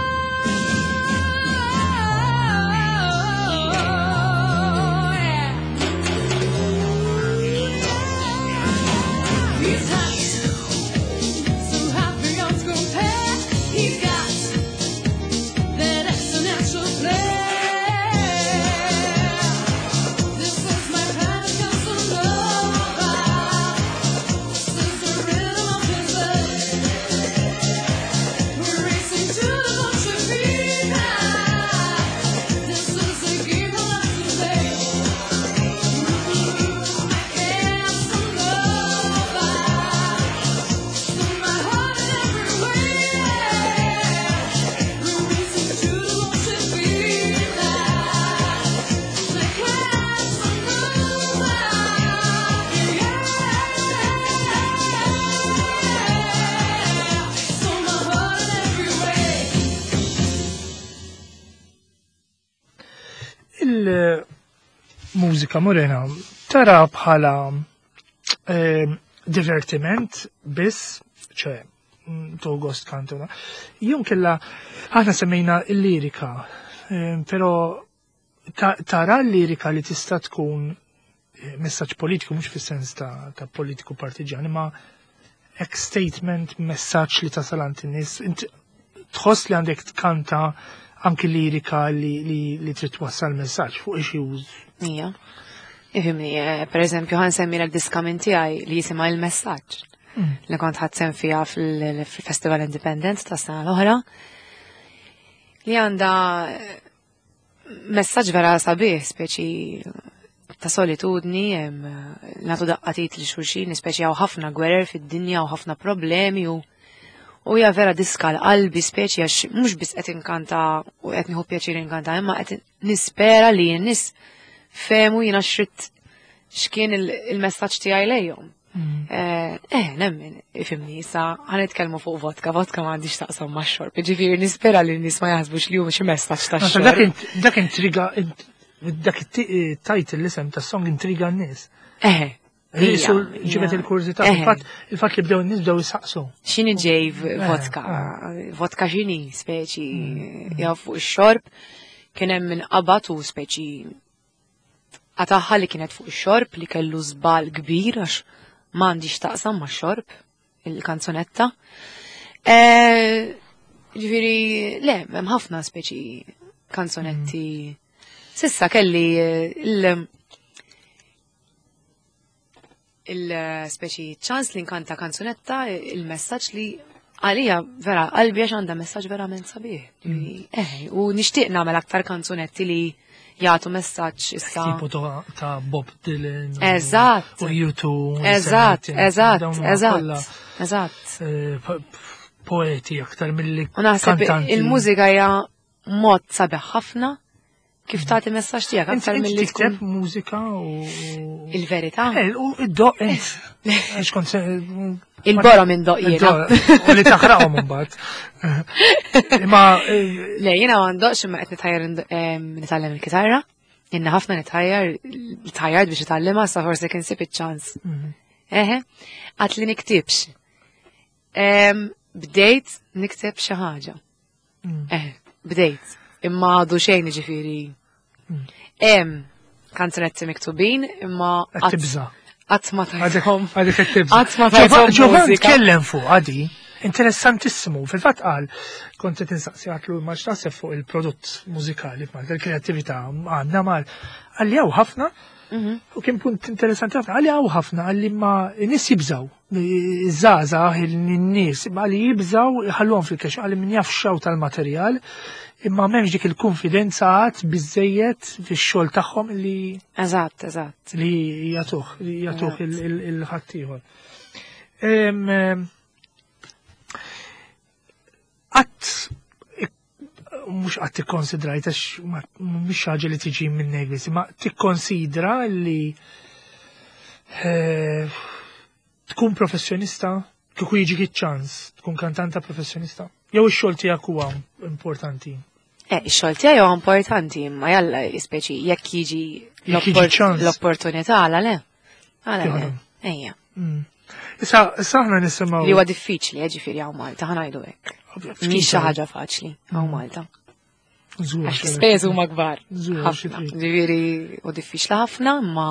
Yeah. He's hot, so hot beyond compare. He's got that exponential flair. This is my kind of Casanova. This is the rhythm of his love. We're racing to the Dolce Vita. This is a game we love to play. My Casanova. My heart in every way. We're racing to the Dolce Vita. My Casanova. Yeah. So my heart in every way. Il-mużika, Morena, tara bħala eh, divertiment biss, ċe, to gost kantuna. Jum kella, aħna semmejna il-lirika, eh, pero ta- tara l-lirika li tista' tkun eh, messaġġ politiku, mhux fis-sens ta', ta' politiku partiġan, imma ek statement, messaġġ li tasal għand in-nies. Int tħoss li għandek tkanta anki lirika li, li, li trid twassal messaġġ fuq issues. Ija. Ifhimni, eh, per eżempju, ħa nsemmi l diska minn tiegħi li jisimha Il-Messaġġ. Li kont ħadt sehem fiha fil- fil-Festival Independent ta' sena l-oħra. Li għandha eh, messaġġ vera sabiħ, speċi ta' solitudni, em, nagħtu daqqa t'id lil xulxin, speċi hawn ħafna gwerer fid-dinja u ħafna problemi u u hija vera diska l-qalbi, speċi għax mhux biss qed inkanta u qed nieħu pjaċir inkanta, imma qed nispera li n-nies fehmu jiena x'ridt, x'kien il- il-messaġġ tiegħi lejhom. Eh, eh, nemmen, ifhimni, issa ħa nitkellmu fuq vodka, vodka ma għandix taqsam ma' xorb, ġifieri nispera li n-nies ma jaħsbux li hu xi messaġġ ta' Dak xorb. int- Dak intriga, int- dak it-title, l-isem ta' song intriga n-nies. Eh, Jisu hija, ġibet hija. il-kurżità. Eh. Il-fatt il-fatt li bdew n-nies bdew jisaqsu. X'inhi ġej vodka, vodka x'inhi, speċi, ja fuq ix-xorb, kien hemm min qabad u speċi qatagħha li kienet fuq ix-xorb, li kellu żball kbir għax m'għandix taqsam ma' xorb il-kanzunetta. Eh, Ġifieri, le, hemm ħafna speċi kanzunetti. S'issa kelli eh, il- il-speċi ċans li nkanta kanzunetta, il-messaġġ li għalija vera qalbi għax għandha messaġġ verament sabiħ. Ġifieri, Eh, u nixtieq nagħmel aktar kanzunetti li jagħtu messaġġ issa. Tipo ta' ta' Bob Dylan. u- Eżatt. U U two. Eżatt, eżatt, eżatt, eżatt. eh, Poeti aktar mill-li U naħseb kantanti. il-mużika hija mod sabiħ ħafna kif tagħti messaġġ tiegħek Inti aktar inti milli tikteb tkun mużika u. il-verità. Eh, u id-doq int. Għax kont se- Il-borom indoq jiena. Id-doq, u li taħraqhom imbagħad. Imma eh, Le, jiena ma ndoqx, imma qed nitħajjar nd- em, nitgħallem il-kitarra. Jiena ħafna nitħajjar, tħajjart biex nitgħallimha, sa forsi kien sib iċ-ċans. Eħe, għat li niktibx. Em, Bdejt nikteb xi ħaġa. Eħe, bdejt. Imma għadu xejn, ġifieri. Hemm kanzunetti miktubin, imma qed qatt- tibża'. qatt ma Għadek tajthom. għadek qed tibża'. Qatt ma tajthom Ġovan mużika. tkellem fuq għadi, interessantissimu. Fil-fatt qal, kont qed insaqsi, għatlu ma x'taħseb fuq il-prodott mużikali f'Malta, il-kreattività għandna mal. Qalli hawn ħafna, Mhm. u kien punt interessanti ħafna, qalli hawn ħafna, qalli ma n-nies jibżaw, iż-żgħażagħ, in-nies, qalli jibżaw ħalluhom fil-kaxxa, qalli min jaf xaw tal-materjal, imma m'hemmx dik il-konfidenza għad biżejjed fix-xogħol tagħhom li Eżatt, eżatt. li jagħtuh, li jagħtuh Eżatt. il- il- il-ħaddieħor. Em, em, Qatt mhux qatt tikkonsidrajt għax ma- mhix ħaġa li tiġi minn biss, ma tikkonsidra li eh, tkun professjonista, kieku jiġik iċ-ċans tkun kantanta professjonista. Jew ix-xogħol tiegħek huwa importanti? Eh, ix-xogħol tiegħi huwa importanti, imma jalla, speċi jekk jiġi Jekk jiġi l-oppor- ċans. l-opportunità, għala le. Għala le. Jaħdem. Ejja. Mm. Issa, issa aħna nisimgħu. Li huwa diffiċli, eh, ġifieri hawn Malta, ħa ngħidu hekk. Mhix xi ħaġa faċli hawn Malta. Żgur, Għax l-ispejjeż huma kbar. Żgur, xi Ħafna. trid. Ġifieri u diffiċli ħafna, imma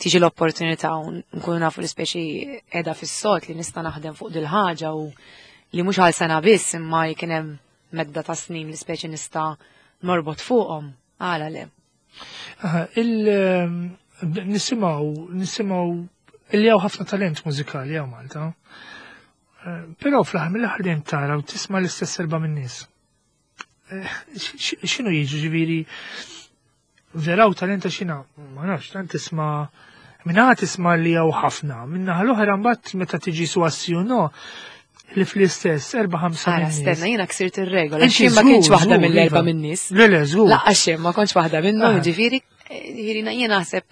tiġi l-opportunità u nkunu nafu li speċi qiegħda fis-sod li nista' naħdem fuq dil-ħaġa u li mhux għal sena biss, imma kien hemm medda ta' snin li speċi nista' norbot fuqhom. Għala le. Aha, il ehm, nisimgħu nisimgħu illi hawn ħafna talent mużikali hawn Malta. Eh, Però fl-aħħar mill-aħħar dejjem tara u tisma' l-istess erba' min-nies. Eh, x- x- X'inhu jiġu, ġifieri vera u talenta xina, ma nafx, tant tisma' minna tisma' li hawn ħafna, minna l-oħra mbagħad meta tiġi su no li fl-istess erba' ħamsa Ara, min-nies. stenna, jiena ksirt ir-regola. Inti Xi ma kienx żgur, waħda żgur, mill-erba' iva. min-nies. Le, le, żgur. Laqqa xejn, ma kontx waħda minnhom, Ah. ġifieri, ġifieri jien naħseb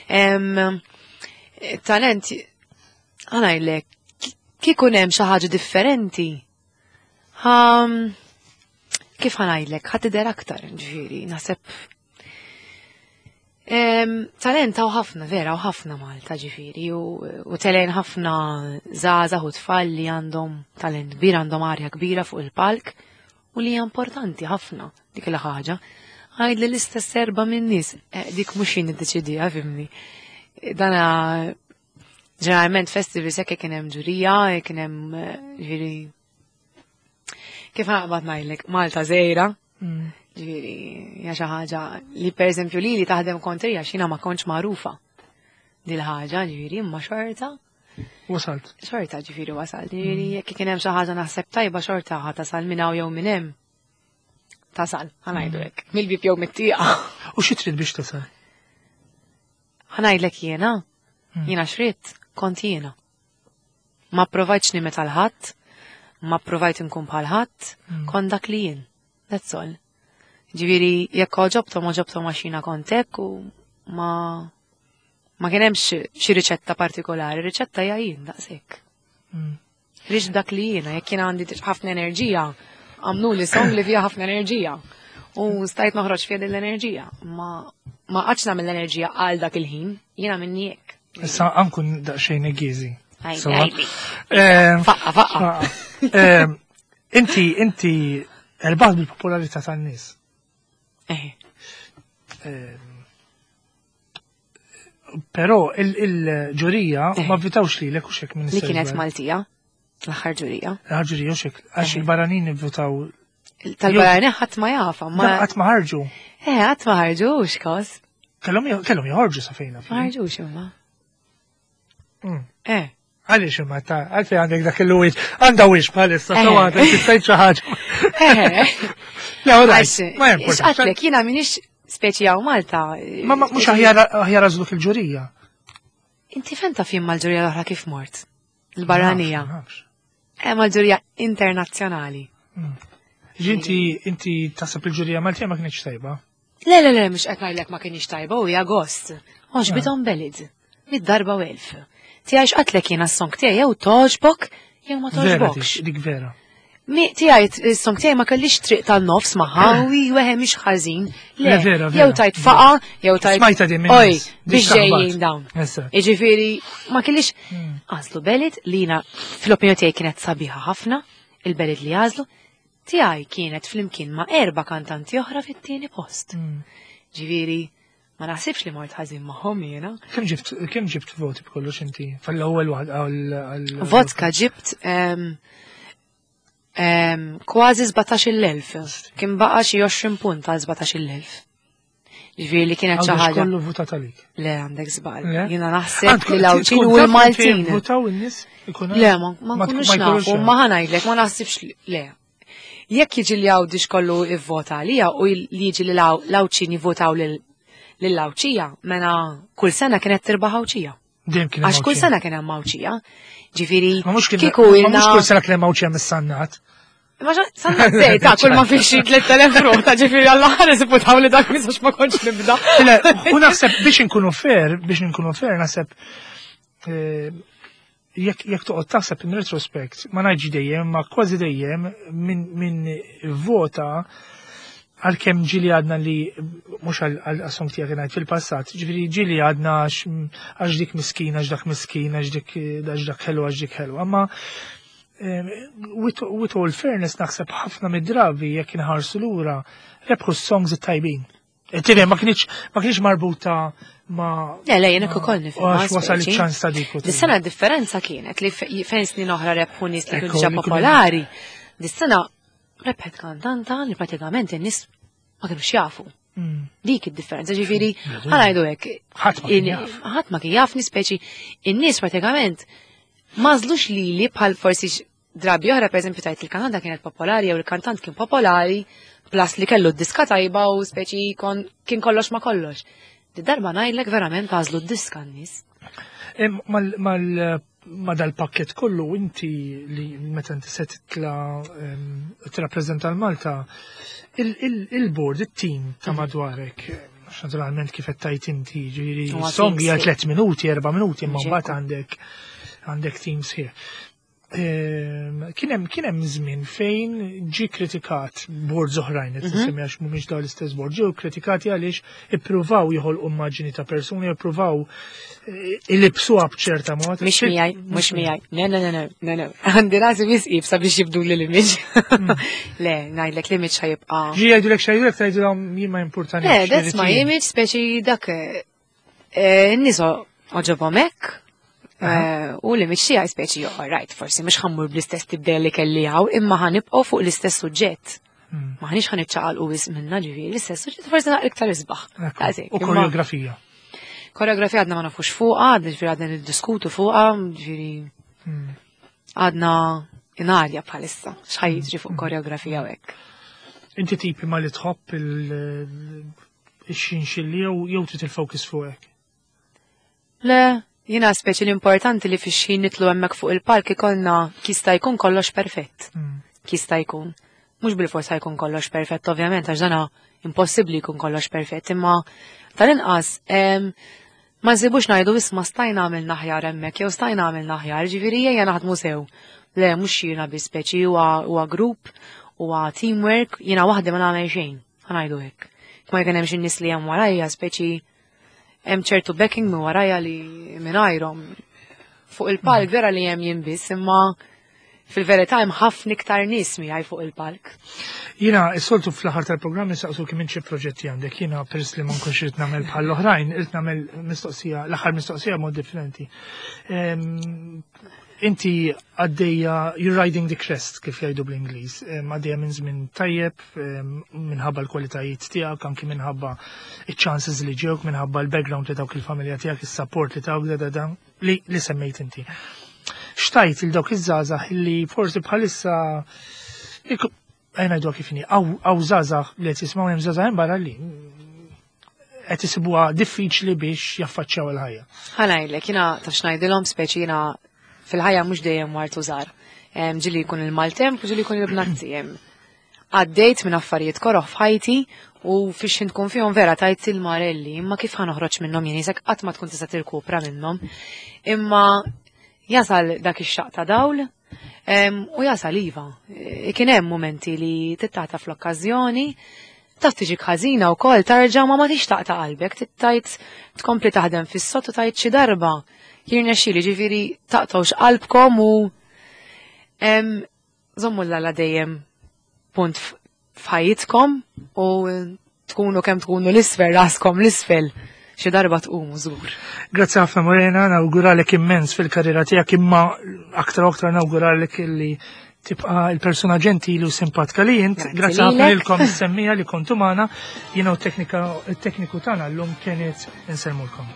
em, talent, ħa ngħidlek, kieku hemm xi ħaġa differenti. Ha, kif ħa ngħidlek, ħa tidher aktar, ġifieri, naħseb Em, talent hawn ħafna, vera, hawn ħafna Malta, ġifieri, u, u telgħin ħafna żgħażagħ u tfal li għandhom talent kbir, għandhom arja kbira fuq il-palk, u li hija importanti ħafna dik il-ħaġa. Għajd li l-istess erba minn nies, eh, dik mhux jien iddeċidija, fhimni. Dana ġeneralment festivals hekk kien hemm ġurija, kien hemm eh, ġifieri, kif naqbad ngħidlek, Malta żgħira, Mm. ġifieri, hija xi ħaġa li pereżempju li li taħdem kontrija x'jiena ma kontx magħrufa dil-ħaġa, ġifieri, imma xorta, Wasalt. xorta ġifieri wasal. Ġifieri jekk kien hemm xi ħaġa naħseb tajba, xorta ħa tasal minn hawn jew minn hemm. Tasal, ħa ngħidu hekk. Mill-bib jew mit-tieqa. U xi trid biex tasal? Ħa ngħidlek jiena, jiena x'ridt, kont jiena. Ma provajtx nimita 'l ħadd, ma provajt nkun bħal ħadd, kont dak li jien. That's all. Ġifieri, jekk għoġobthom, għoġobthom għax jiena kont hekk u ma ma kien hemmx xi riċetta partikolari, riċetta hija jien daqshekk. Rix dak li jiena, jekk jiena għandi ħafna enerġija, għamlu li song li fija ħafna enerġija. U stajt noħroġ fija din l-enerġija. Ma ma qgħadtx nagħmel l-enerġija għal dak il-ħin, jiena minni hekk. Issa ħa nkun daqsxejn negizi. Għajdi, għajdi. Faqqa, faqqa. Inti, inti, rbaħt bil-popolarità tan-nies. Eh, Però il-ġurija Eh. ma vvutawx li l hekk minn Li kienet Maltija, l-aħħar ġurija. Il-ġurija u xek, għax Eh. il-barranin votaw. Tal-barani ħadd ma jafa, ma. Qatt ma ħarġu. Eh, ħadd ma ħarġux kos. Kellhom kellhom joħorġu sa fejna. Ma ħarġux imma. Mm. Eh, Għaliex imma ta' għalfej għandek dak il-wiċ, għandha wiċ bħalissa, Eh. so għandek tistajt xi ħaġa. eh. Le, all right, Għax, ma importax. x'qatlek, jiena minix speċi hawn Malta. Ma ma mhux aħjar aħjar għażluk il-ġurija. Inti fejn taf jien mal-ġurija l-oħra kif mort? Il-barranija. Ma nafx, Eh, mal-ġurija internazzjonali. ma nafx. Ġi inti inti taħseb il-ġurija Maltija ma kienx tajba. Le, le, le, mhux qed ngħidlek ma kienx tajba u hija gost. Għoġbithom Belid. Mid-darba u elf. Tiegħi x'qatlek jiena s-song tiegħi jew toġbok jew ma Vera toġbokx. dik, dik vera. Mi tiegħi s-song tiegħi ma kellix triq tan-nofs magħha u weħe mhix ħażin. Le, Le, vera, jew vera. tajt faqa, jew tajt. Smajta din minn Oj, nies, dik biex taħbat. ġejjin dawn. Eżatt. Iġifieri, ma kellix għażlu Belid li jiena fl-opinjoni tiegħi kienet sabiħa ħafna, il-Belid li għażlu, tiegħi kienet flimkien ma' erba' kantanti oħra fit-tieni post. Mm. Ġifieri, ma naħsibx li mort ħażin magħhom jiena. Kemm ġibt kemm ġibt voti b'kollox inti? Fl-ewwel waħda għal għal- Vodka ġibt em, em, kważi sbatax-il elf. Kien baqa xi għoxrin punt għal sbatax-il elf. Ġifieri li kienet xi Għawdex ħaġa. kollu votat għalik. Le, għandek żball. Le? Jiena naħseb Għandku- li l-Għawdxin tkun u taf l-Maltin. fejn Votaw in-nies ikun Le, ma ma nkunux ma jkunux nafu, ma ħa ngħidlek, ma naħsibx li- le. Jekk jiġi li Għawdix kollu ivvota għalija u li jiġi li l-Għawdxin jivvotaw lill-Għawdxija, mela kull sena kienet tirbaħ Għawdxija. Dejjem kien hemm Għax kull Għawdxin. sena kien hemm Għawdxija. Ġifieri, Ma mhux kien kieku ma ilna. mhux kull sena kien hemm Għawdxija mis-sannat. Ma xa, sanna zej, ta' kull ma fiex xi tliet elef ruħ, ta' ġifieri għalla ħares ivvutaw li dak misax ma kontx nibda. Le, u naħseb biex inkunu fair, biex inkunu fair, naħseb eh, jekk jekk toqgħod taħseb in retrospect, ma ngħidx dejjem, ma kważi dejjem min min vota għalkemm ġieli għadna li mhux għal song tiegħek ngħid fil-passat, ġifieri ġieli għadna għax għax dik miskin, għax dak miskin, għax dik għax dak ħelu, għax dik ħelu. Amma eh, with, with all fairness naħseb ħafna mid-drabi jekk inħarsu lura rebħu s-songs it-tajbin. Tifhem, ma kienx ma kienx marbuta ma Le, le, jien ukoll nifhem. Għax wasal iċ-ċans ta' dik. u Dis-sena differenza kienet li fe- fejn snin oħra rebħu nies li kienu Ekku, diġà li kienu- popolari. Dis-sena rebħet kantanta li pratikament in-nies ma kienux jafu. Mm. Dik id-differenza, ġifieri, ħa ngħidu hekk. Ħadd ma kien In- jaf. Ħadd ma kien jaf speċi in-nies pratikament m'għażlux lili bħal forsi x- drabi oħra, per eżempju, tajt il-kantanta kienet popolari jew il-kantant kien popolari, plus li kellu d-diska tajba u speċi kon, kien kollox ma kollox. Di darba ngħidlek verament għażlu d-diska n-nies. Em, Mal, mal, ma dal-pakket kollu inti li meta inti se titla em, tirrappreżenta l-Malta, il-board, il-team ta' madwarek, għax naturalment kif qed tajt inti, ġifieri Huwa song team hija sħiħ. tliet minuti, erba' minuti, imma Ġekku. mbagħad għandek għandek team sħiħ. Em, Kien hemm kien hemm żmien fejn ġi kritikat boards oħrajn qed nsemmi għax mhumiex dawn l-istess board, ġew kritikati għaliex ippruvaw joħolqu immaġini ta' persuni, ippruvaw eh, ilibsuha b'ċerta mod. Mhix miegħi, mhux miegħi. Ne, ne, ne, ne, ne, ne. Għandi rasi wisq iebsa biex jibdu li l-image. Le, ngħidlek l-image ħa jibqa'. Ġi jgħidulek x'jgħidulek tgħidulhom jien ma importani. Le, that's my image, speċi dak eh, n-nies għoġobhom hekk. eh, U l-image tiegħi speċi, all right, forsi mhux ħa mmur bl-istess tibdel li kelli hawn, imma ħa nibqgħu fuq l-istess suġġett. Ma ħanix ħa niċċaqalqu wisq minna ġifieri, l-istess suġġett forsi naqra iktar isbaħ. Daqshekk, U imma- koreografija. Koreografija għadna ma nafux fuqha, għadna ġifieri għadna niddiskutu fuqha, ġifieri għadna in-arja bħalissa, x'ħa jiġri fuq koreografija u hekk. Inti tipi ma li tħobb il-xinxilli jew jew trid il-focus fuqek. Le, jiena speċi l-importanti li fix-xħin nitlu hemmhekk fuq il-palk ikollna jista' jkun kollox perfett. Jista' jkun. Mhux bil-forsa jkun kollox perfett, ovvjament, għax dana impossibbli jkun kollox perfett, imma tal-inqas em, ma nsibux ngħidu isma' stajna għamilna aħjar hemmhekk jew stajna għamilna aħjar, ġifieri ejja naħdmu sew. Le, mhux jiena bi speċi huwa huwa grupp, huwa teamwork, jiena waħdi ma nagħmel xejn, ħa ngħidu hekk. Ma jkun hemm xi nies li hemm warajja, speċi hemm ċertu backing minn warajja li mingħajrhom fuq il-palk vera li hemm jien biss, imma fil-verità hemm ħafna iktar nies miegħi fuq il-palk. Jiena, s-soltu fl-aħħar tal-programm nistaqsu kemm xi proġetti għandek. Jiena peress li ma nkunx irid nagħmel bħall-oħrajn, irid nagħmel mistoqsija, l-aħħar mistoqsija mod differenti. Em, Inti għaddejja, you're riding the crest, kif jgħidu bl-Ingliż, Em, għaddejja minn żmien tajjeb, em, minħabba l-kwalitajiet tiegħek, anki minħabba il-chances li ġewk, minħabba l-background li tawk il-familja tiegħek, il-support li tawk, da da da, li, li semmejt inti. X'tgħid lil dawk iż-żgħażagħ li forsi bħalissa għajna jdu kif inhi, hawn żgħażagħ li qed jisimgħu hemm żgħażagħ hemm barra li qed isibuha diffiċli biex jaffaċċjaw il-ħajja. Ħa ngħidlek, jiena taf x'ngħidilhom speċi jiena fil-ħajja mhux dejjem wartu żgħar. Ġieli jkun il-maltemp u ġieli jkun il-bnazzi hemm. Għaddejt minn affarijiet koroh f'ħajti u fix tkun fihom vera tajt il-marelli, imma kif ħa noħroġ minnhom jien isek qatt ma tkun tista' tirkupra minnhom. Imma jasal dak ix-xaq ta' dawl em, u jasal iva. E, Kien hemm momenti li tittata fl-okkażjoni, taf tiġik ħażina wkoll tarġa' ma ma tixtaq ta' qalbek, tittajt tkompli taħdem fis-sod u tajt xi darba. Jirnexxieli ġifieri taqtgħux qalbkom u em, żommu l-Alla dejjem punt f- f'ħajjitkom u tkunu kemm tkunu l-isfel raskom l-isfel xi darba tqumu żgur. Grazzi ħafna Morena, nawguralek immens fil-karriera tiegħek imma aktar u aktar nawguralek illi tibqa' il-persuna ġentili u simpatika li int. Grazzi Grazzi ħafna lilek. lilkom is-semmiegħa li kontu magħna. Jiena u t-teknika il-tekniku tagħna llum kienet insellmulkom.